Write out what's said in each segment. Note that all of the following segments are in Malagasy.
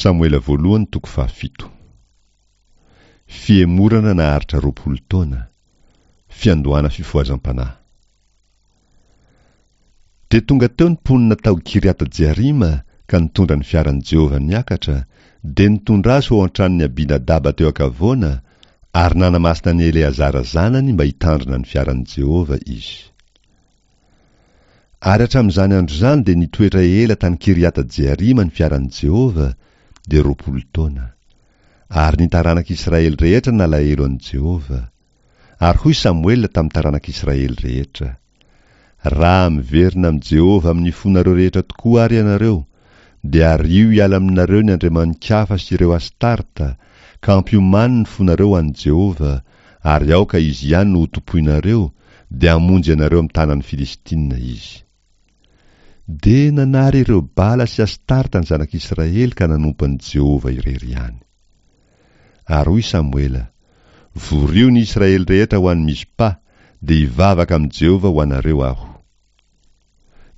Samoela voalohany toko fahafito. Fihemorana naharitra 20 taona. Fiandohana fifohazam-panahy. Dia tonga teo ny mponina tao Kiriata-jearima ka nitondra ny fiaran'i Jehovah niakatra, dia nitondra azy ho ao an-tranon'i Abinadaba teo an-kavoana, ary nanamasina an'i Eleazara zanany mba hitandrina ny fiaran'i Jehovah izy. Ary hatramin'izany andro izany dia nitoetra ela tany Kiriata-jearima ny fiaran'i Jehovah, dia 20 taona. Ary ny taranak'Israely rehetra nalahelo an'i Jehovah. Ary hoy Samoela tamin'ny taranak'Israely rehetra, Raha miverina amin'i Jehovah amin'ny fonareo rehetra tokoa àry ianareo, dia ario hiala aminareo ny andriamani-kafa sy ireo Astarta, ka ampiomano ny fonareo ho an'i Jehovah, ary aoka izy ihany no hotompoinareo, dia hamonjy anareo amin'ny tanan'ny Filistina izy. Dia nanary ireo Bala sy Astarta ny zanak'Israely ka nanompo an'i Jehovah irery ihany. Ary hoy Samoela, Vorio ny Israely rehetra ho any Mizpa, dia hivavaka amin'i Jehovah ho anareo aho.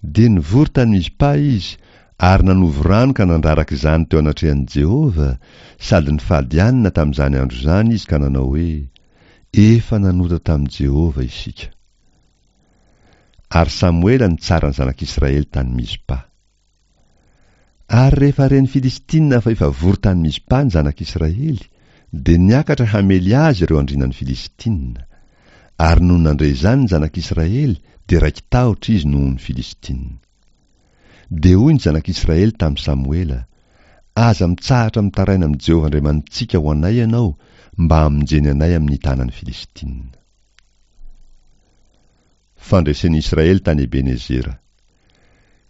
Dia nivory tany Mizpa izy, ary nanovo rano ka nandraraka izany teo anatrehan'i Jehovah, sady nifady hanina tamin'izany andro izany izy ka nanao hoe, Efa nanota tamin'i Jehovah isika. Ary Samoela nitsara ny zanak'Israely tany Mizpa. Ary rehefa ren'ny Filistina fa efa vory tany Mizpa ny zanak'Israely, dia niakatra hamely azy ireo andrianan'ny Filistina. Ary nony nandre izany ny zanak'Israely, dia raiki-tahotra izy noho ny Filistina. Dia hoy ny zanak'Israely tamin'i Samoela, Aza mitsahatra mitaraina amin'i Jehovah Andriamanitsika ho anay ianao, mba hamonjeny anay amin'ny tanan'ny Filistina. Fandresen'ny Israely tany Ebenezera.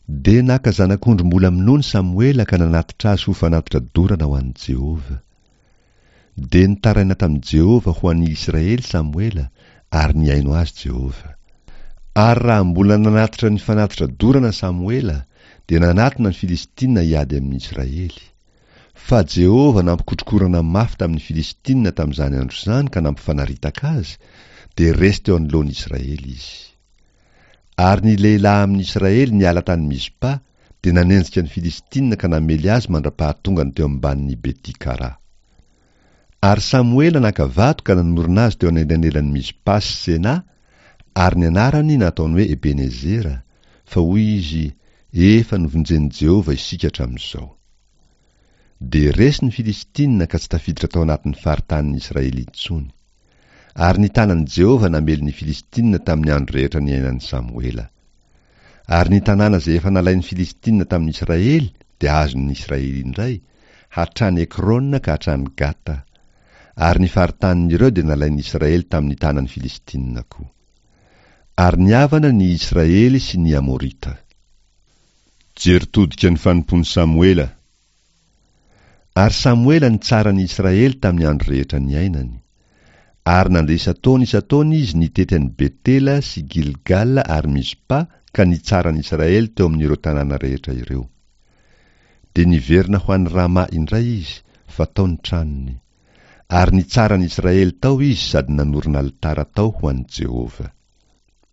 Dia naka zanak'ondry mbola minono Samoela ka nanatitra azy ho fanatitra dorana ho an'i Jehovah. Dia nitaraina tamin'i Jehovah ho an'ny Israely Samoela, ary nihaino azy Jehovah. Ary raha mbola nanatitra ny fanatitra dorana Samoela, dia nanatona ny Filistina hiady amin'ny Israely. Fa Jehovah nampikotrokorana mafy tamin'ny Filistina tamin'izany andro izany ka nampifanaritaka azy, dia resy teo anoloan'ny Israely izy. Ary ny lehilahy amin'ny Israely niala tany Mizpa, dia nanenjika ny Filistina ka namely azy mandra-pahatongany teo ambanin'i Beti-kara. Ary Samoela naka vato ka nanorina azy teo anelanelan'i Mizpa sy Sena, ary ny anarany nataony hoe Ebenezera, fa hoy izy, Efa novonjen'i Jehovah isika hatramin'izao. Dia resy ny Filistina ka tsy tafiditra tao anatin'ny faritanin'ny Israely intsony. Ary ny tanan'i Jehovah namely ny Filistina tamin'ny andro rehetra niainan'i Samoela. Ary ny tanàna izay efa nalain'ny Filistina tamin'ny Israely dia azon'ny Israely indray, hatrany Ekrona ka hatrany Gata. Ary ny faritanin'ireo dia nalain'ny Israely tamin'ny tanan'ny Filistina koa. Ary nihavana ny Israely sy ny Amorita. Jery todika ny fanompoan'i Samoela. Ary Samoela nitsara ny Israely tamin'ny andro rehetra niainany. Ary nandeha isan-taona isan-taona izy nitety an'i Betela sy Gilgala ary Mizpa ka nitsara ny Israely teo amin'ireo tanàna rehetra ireo. Dia niverina ho any Rama indray izy, fa tao ny tranony. Ary nitsara ny Israely tao izy sady nanorina alitara tao ho an'i Jehovah.